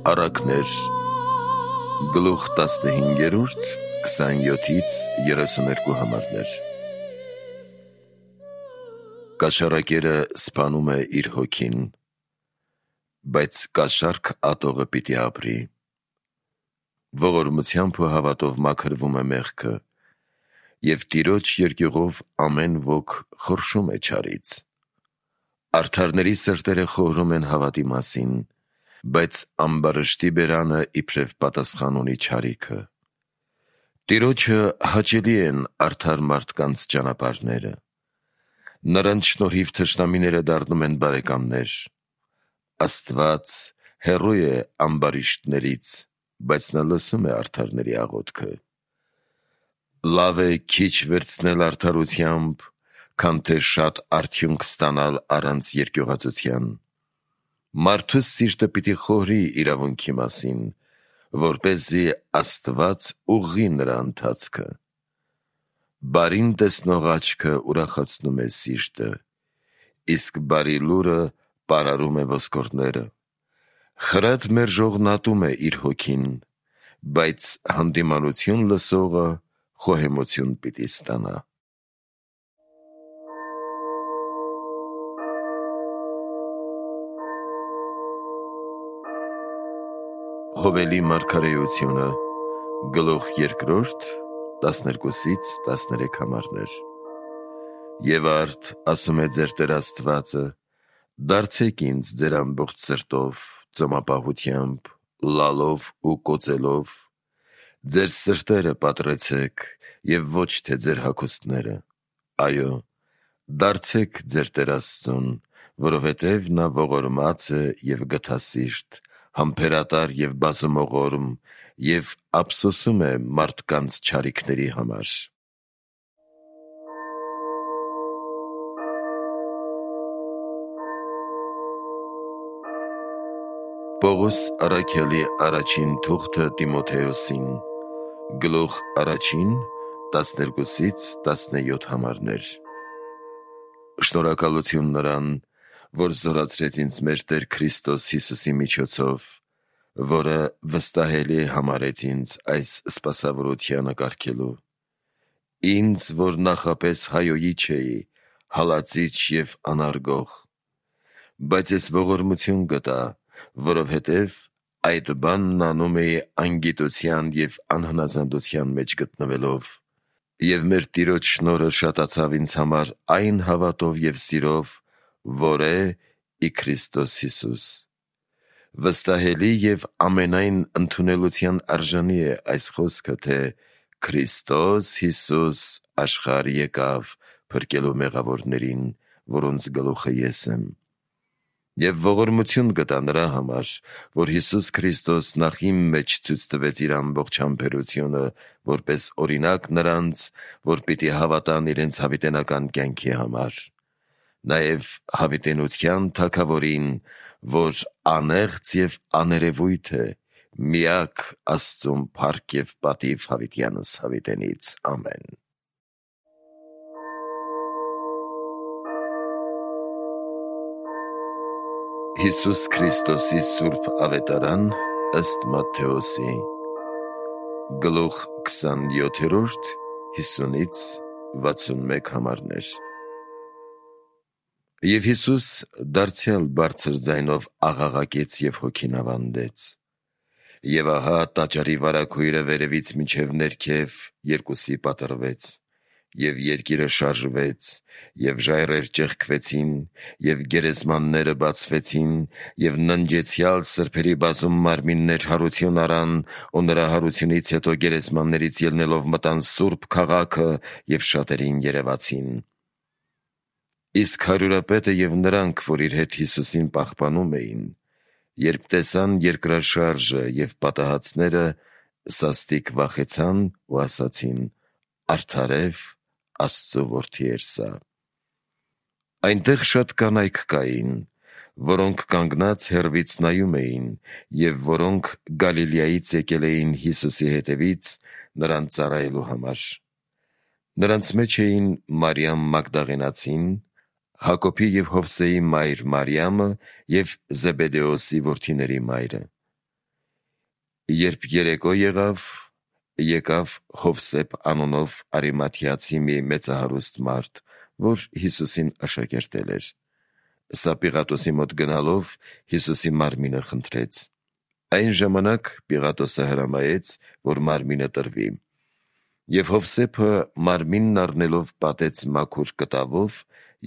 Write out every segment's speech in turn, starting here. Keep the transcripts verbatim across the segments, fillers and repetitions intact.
Առակներ, գլուխ տասնհինգերորդ, քսանյոթից երեսուներկու համարներ։ Կաշառակերը սպանում է իր հոգին, բայց կաշառք ատողը պիտի ապրի։ Ողորմությամբ ու հավատով մաքրվում է մեղքը, և Տիրոջ երկյուղով ամեն ոք խորշում է չարից։ Արդարների սրտերը խորհում են հավատի մասին, բայց ամբարշտի բերանը իբրև պատասխան ունի չարիքը։ Տիրոջը հաճելի են արդար մարդկանց ճանապարհները, նրանց շնորհիվ թշնամիները դառնում են բարեկամներ։ Աստված հեռու է ամբարիշտներից, բայց նա լսում է արդարների աղոթքը։ Լավ է քիչ վերցնել արդարությամբ, քան թե շատ արդյունք ստանալ առանց երկյուղածության։ Մարդու սիրտը պիտի խորհի իրավունքի մասին, որպեսզի Աստված ուղղի նրա ընթացքը։ Բարին տեսնող աչքը ուրախացնում է սիրտը, իսկ բարի լուրը պարարում է ոսկորները։ Խրատ մերժողն ատում է իր հոգին, բայց հանդիմանություն լսողը խոհեմություն պիտի ստանա։ Հովելի մարգարեությունը, գլուխ երկրորդ, տասներկուսից տասներեք համարներ։ Եվ արդ ասում է ձեր Տեր Աստվածը. «Դարձեք ինձ ձեր ամբողջ սրտով, ծոմապահությամբ, լալով ու կոծելով, ձեր սրտերը պատռեցեք և ոչ թե ձեր հագուստները, այո, դարձեք ձեր Տեր Աստծուն, որովհետև նա ողորմած է և գթասիրտ, համբերատար և բազումողորմ և ափսոսում է մարդկանց չարիքների համար»։ Պողոս առաքյալի առաջին թուղթը Տիմոթեոսին, գլուխ առաջին, տասներկուսից տասնյոթ համարներ։ Շնորհակալություն նրան, որ զորացրեց ինձ մեր Տեր Քրիստոս Հիսուսի միջոցով, որը վստահելի համարեց ինձ այս սպասավորությանը կարգելու։ Ինձ, որ նախապես հայոյի չէի, հալածիչ և անարգող, բայց ես ողորմություն գտա, որովհետև այդ բանն անում էի անգիտության և անհնազանդության մեջ գտնվելով, և մեր Տիրոջ շնորհը շատացավ ինձ համար այն հավատով և սիրով, որ է ի Քրիստոս Հիսուս։ Վստահելի և ամենայն ընդունելության արժանի է այս խոսքը, թե Քրիստոս Հիսուս աշխարհ եկավ փրկելու մեղավորներին, որոնց գլուխը ես եմ։ Եվ ողորմություն գտա նրա համար, որ Հիսուս Քրիստոս նախ իմ մեջ ցույց տվեց իր ամբողջ համբերությունը, որպես օրինակ նրանց, որ պիտի հավատան իրենց հավիտենական կյանքի համար, նաև հավիտենության Թագավորին, որ անեղծ և աներևույթ է, միակ Աստծուն փառք և պատիվ հավիտյանս հավիտենից։ Ամեն։ Հիսուս Քրիստոսի սուրբ ավետարան ըստ Մատթեոսի, գլուխ քսանյոթերորդ, հիսունից վաթսունմեկ համարներ։ Եվ Հիսուս դարձյալ բարձր ձայնով աղաղակեց և հոգին ավանդեց. և ահա տաճարի վարագույրը վերևից մինչև ներքև երկուսի պատռվեց, և երկիրը շարժվեց, և ժայռեր ճեղքվեցին, և գերեզմանները բացվեցին, և ննջեցյալ սրբերի բազում մարմիններ հարություն առան, ու նրա հարությունից հետո գերեզմաններից ելնելով մտան սուրբ քաղաքը և շատերին երևացին։ Իսկ հարյուրապետը և նրանք, որ իր հետ Հիսուսին պահպանում էին, երբ տեսան երկրաշարժը և պատահածները, սաստիկ վախեցան ու ասացին. «Արդարև Աստծու որդի էր սա»։ Այնտեղ շատ կանայք կային, որոնք կանգնած հեռվից նայում էին, և որոնք Գալիլեայից եկել էին Հիսուսի հետևից նրան ծառայելու համար։ Նրանց մեջ էին Մարիամ Մագդաղենացին, Հակոբի և Հովսեի մայր Մարիամը և Զեբեդեոսի որդիների մայրը, Երբ երեկո եղավ, եկավ Հովսեփ անունով Արիմաթիացի մի մեծահարուստ մարդ, որ Հիսուսին աշակերտել էր։ Սա Պիղատոսի մոտ գնալով Հիսուսի մարմինը խնդրեց։ Այն ժամանակ Պիղատոսը հրամայեց, որ մարմինը տրվի։ Եվ Հովսեփը մարմինն առնելով պատեց մաքուր կտավով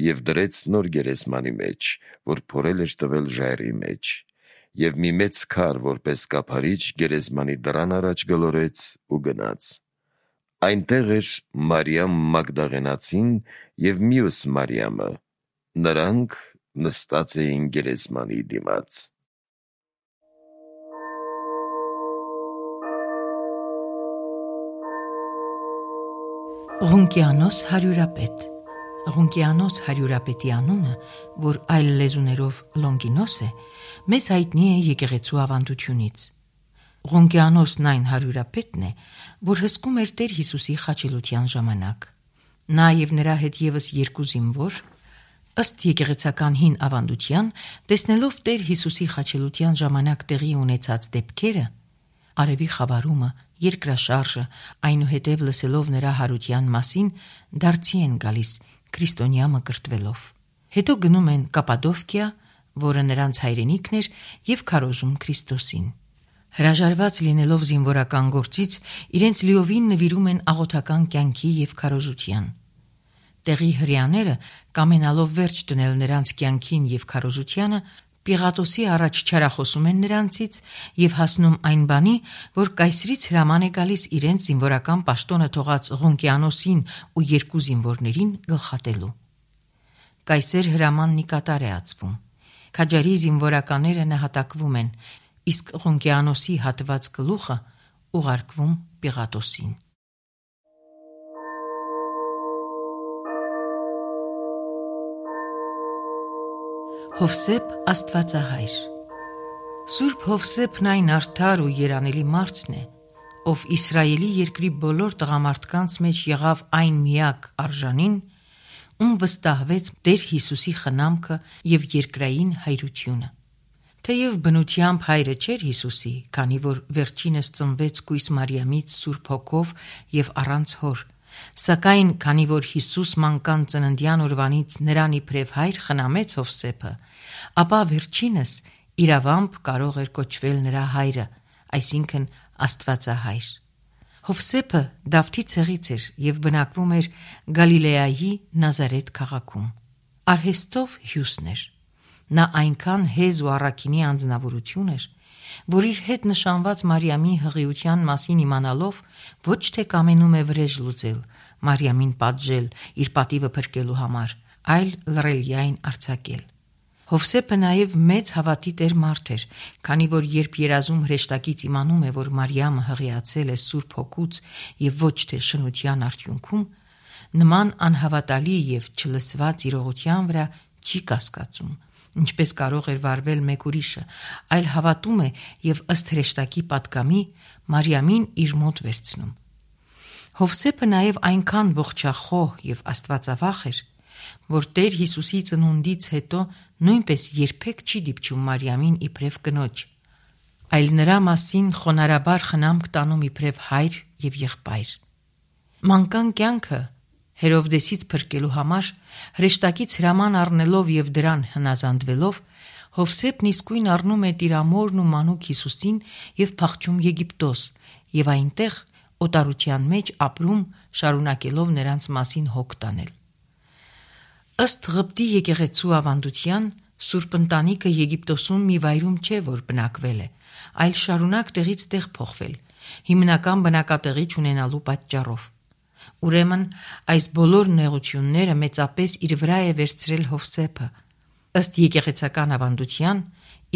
և դրեց նոր գերեզմանի մեջ, որ փորել էր տվել ժայռի մեջ, և մի մեծ քար, որպես կափարիչ, գերեզմանի դռան առաջ գլորեց ու գնաց։ Այնտեղ էր Մարիամ Մագդաղենացին և մյուս Մարիամը, նրանք նստած էին գերեզմանի դիմաց։ Ղունկիանոս հարյուրապետ Ղունկիանոս հարյուրապետի անունը, որ այլ լեզուներով Լոնգինոս է, մեզ հայտնի է եկեղեցու ավանդությունից։ Ղունկիանոսն այն հարյուրապետն է, որ հսկում էր Տեր Հիսուսի խաչելության ժամանակ։ Նա և նրա հետ ևս երկու զինվոր, ըստ եկեղեցական հին ավանդության, տեսնելով Տեր Հիսուսի խաչելության ժամանակ տեղի ունեցած դեպքերը, արևի խավարումը, երկրաշարժը, այնուհետև լսելով նրա հարության մասին, դարձի են գալիս քրիստոնյա մկրտվելով։ Հետո գնում են Կապադովկիա, որը նրանց հայրենիքն էր, և քարոզում Քրիստոսին։ Հրաժարված լինելով զինվորական գործից, իրենց լիովին նվիրում են աղոթական կյանքի և քարոզության։ Տեղի հրեաները, կամենալով վերջ դնել նրանց կյանքին և քարոզությանը, Պիղատոսի առաջ չարախոսում են նրանցից և հասնում այն բանի, որ կայսրից հրաման է գալիս իրենց զինվորական պաշտոնը թողած Ղունկիանոսին ու երկու զինվորներին գլխատելու։ Կայսեր հրամանն ի կատար է ածվում։ Քաջարի զինվորականները նահատակվում են, իսկ Ղունկիանոսի հատված գլուխը ուղարկվում Պիղատոսին։ Հովսեփ Աստվածահայր Սուրբ Հովսեփն այն արդար ու երանելի մարդն է, ով Իսրայելի երկրի բոլոր տղամարդկանց մեջ եղավ այն միակ արժանին, ում վստահվեց Տեր Հիսուսի խնամքը և երկրային հայրությունը։ Թեև բնությամբ հայրը չէր Հիսուսի, քանի որ վերջինս ծնվեց կույս Մարիամից Սուրբ Հոգով և առանց հոր, սակայն քանի որ Հիսուս մանկան ծննդյան օրվանից նրան իբրև հայր խնամեց Հովսեփը, ապա վերջինս իրավամբ կարող էր կոչվել նրա հայրը, այսինքն Աստվածահայր։ Հովսեփը Դավթի ցեղից էր և բնակվում էր Գալիլեայի Նազարեթ քաղաքում։ Արհեստով հյուսն էր։ Նա այնքան հեզ ու առաքինի անձնավորություն էր, որ իր հետ նշանված Մարիամի հղիության մասին իմանալով ոչ թե կամենում է վրեժ լուծել, Մարիամին պատժել, իր պատիվը փրկելու համար, այլ լռելյայն արձակել։ Հովսեփը նաև մեծ հավատի տեր մարդ էր, քանի որ երբ երազում հրեշտակից իմանում է, որ Մարիամը հղիացել է Սուրբ Հոգուց և ոչ թե շնության արդյունքում, նման անհավատալի և չլսված իրողության վրա չի կասկածում, ինչպես կարող էր վարվել մեկ ուրիշը, այլ հավատում է և ըստ հրեշտակի պատգամի Մարիամին իր մոտ վերցնում։ Հովսեփը նաև այնքան ողջախոհ և աստվածավախ էր, որ Տեր Հիսուսի ծնունդից հետո նույնպես երբեք չի դիպչում Մարիամին իբրև կնոջ, այլ նրա մասին խոնարհաբար խնամք տանում իբրև հայր և եղբայր։ Մանկան կյանքը Հերովդեսից փրկելու համար հրեշտակից հրաման առնելով և դրան հնազանդվելով, Հովսեփն իսկույն առնում է տիրամորն ու մանուկ Հիսուսին և փախչում Եգիպտոս և այնտեղ օտարության մեջ ապրում, շարունակելով նրանց մասին հոգ տանել։ Ըստ Ղպտի եկեղեցու ավանդության, Սուրբ ընտանիքը Եգիպտոսում մի վայրում չէ, որ բնակվել է, այլ շարունակ տեղից տեղ փոխվել, հիմնական բնակատեղի չունենալու պատճառով։ Ուրեմն այս բոլոր նեղությունները մեծապես իր վրա է վերցրել Հովսեփը։ Ըստ եկեղեցական ավանդության,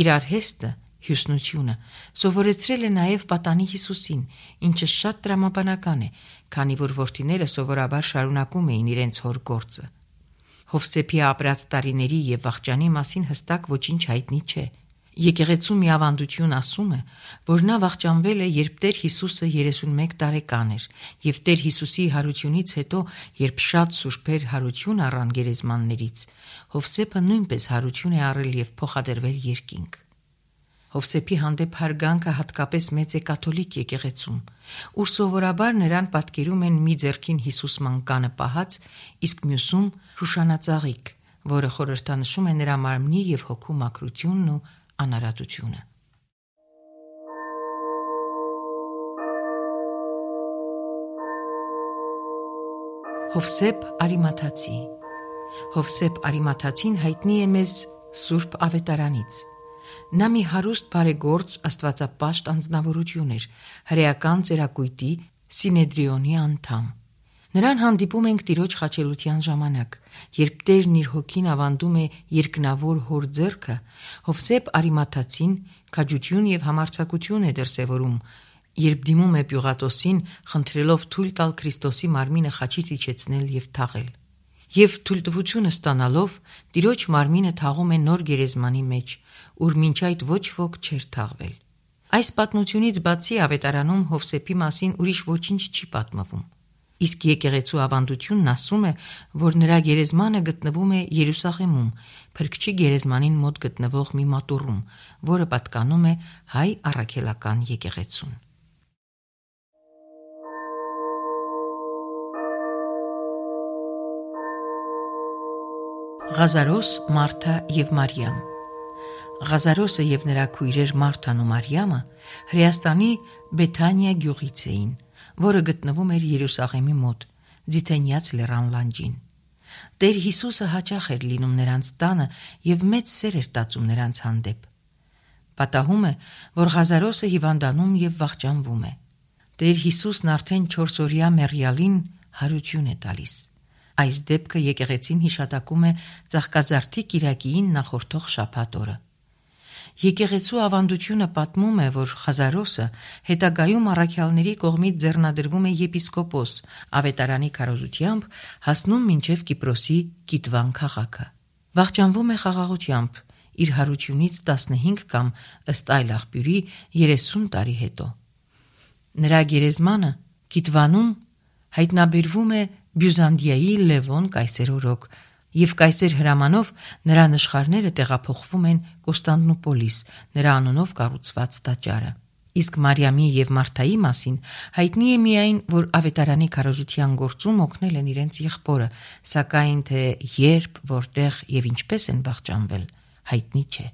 իր արհեստը, հյուսնությունը սովորեցրել է նաև պատանի Հիսուսին, ինչը շատ տրամաբանական է, քանի որ որդիները սովորաբար շարունակում էին իրենց հոր գործը։ Հովսեփի ապրած տարիների և վախճանի մասին հստակ ոչինչ հայտնի չէ։ Եկեղեցու մի ավանդություն ասում է, որ նա վախճանվել է, երբ Տեր Հիսուսը երեսունմեկ տարեկան էր, և Տեր Հիսուսի հարությունից հետո, երբ շատ սուրբեր հարություն առան գերեզմաններից, Հովսեփը նույնպես հարություն է առել և փոխադրվել երկինք։ Հովսեփի հանդեպ հարգանքը հատկապես մեծ է կաթոլիկ եկեղեցում, ուր սովորաբար նրան պատկերում են մի ձեռքին Հիսուսման կանը պահած, իսկ մյուսում շուշանածաղիկ, որը խորհրդանշում է նրա մարմնի և հոգու մաքրությունն ու անարատությունը։ Հովսեփ Արիմաթացի Հովսեփ Արիմաթացին հայտնի է մեզ Սուրբ Ավետարանից։ Նա մի հարուստ բարեգործ աստվածապաշտ անձնավորություն էր, հրեական ծերակույտի Սինեդրիոնի անդամ։ Նրան հանդիպում ենք Տիրոջ խաչելության ժամանակ, երբ Տերն իր հոգին ավանդում է երկնավոր հոր ձեռքը, Հովսեփ Արիմաթացին քաջություն և համարձակություն է դրսևորում, երբ դիմում է Պյուղատոսին, խնդրելով թույլ տալ Քրիստոսի մարմինը խաչից իջեցնել և թաղել։ Եվ թույլտվությունը ստանալով, Տիրոջ մարմինը թաղում է նոր գերեզմանի մեջ, ուր մինչ այդ ոչ ոք չէր թաղվել։ Այս պատմությունից բացի Ավետարանում Հովսեփի մասին ուրիշ ոչինչ չի պատմվում։ Իսկ եկեղեցու ավանդությունն ասում է, որ նրա գերեզմանը գտնվում է Երուսաղեմում, Փրկչի գերեզմանին մոտ գտնվող մի մատուռում, որը պատկանում է հայ առաքելական եկեղեցուն։ Ղազարոս, Մարթա և Մարիամ Ղազարոսը և նրա քույրեր Մարթան ու Մարիամը Հրեաստանի Բեթանիա գյուղից էին, որը գտնվում էր Երուսաղեմի մոտ, Ձիթենյաց լեռան լանջին։ Տեր Հիսուսը հաճախ էր լինում նրանց տանը և մեծ սեր էր տածում նրանց հանդեպ։ Պատահում է, որ Ղազարոսը հիվանդանում և վախճանվում է։ Տեր Հիսուսն արդեն չորսօրյա մեռյալին հարություն է տալիս։ Այս դեպքը եկեղեցին հիշատակում է Ծաղկազարդի կիրակիին նախորդող շաբաթ օրը։ Եկեղեցու ավանդությունը պատմում է, որ Ղազարոսը հետագայում առաքյալների կողմից ձեռնադրվում է եպիսկոպոս, Ավետարանի քարոզությամբ հասնում մինչև Կիպրոսի Կիտվան քաղաքը։ Վախճանվում է խաղաղությամբ, իր հարությունից տասնհինգ կամ ըստ այլ աղբյուրի երեսուն տարի հետո։ Նրա գերեզմանը Կիտվանում հայտնաբերվում է Բյուզանդիայի Լևոն կայսերօրոք, և կայսեր հրամանով նրա նշխարները տեղափոխվում են Կոստանդնուպոլիս, նրա անունով կառուցված տաճարը։ Իսկ Մարիամի և Մարթայի մասին հայտնի է միայն, որ Ավետարանի քարոզության գործում օգնել են իրենց եղբորը, սակայն թե երբ, որտեղ և ինչպես են վախճանվել, հայտնի չէ։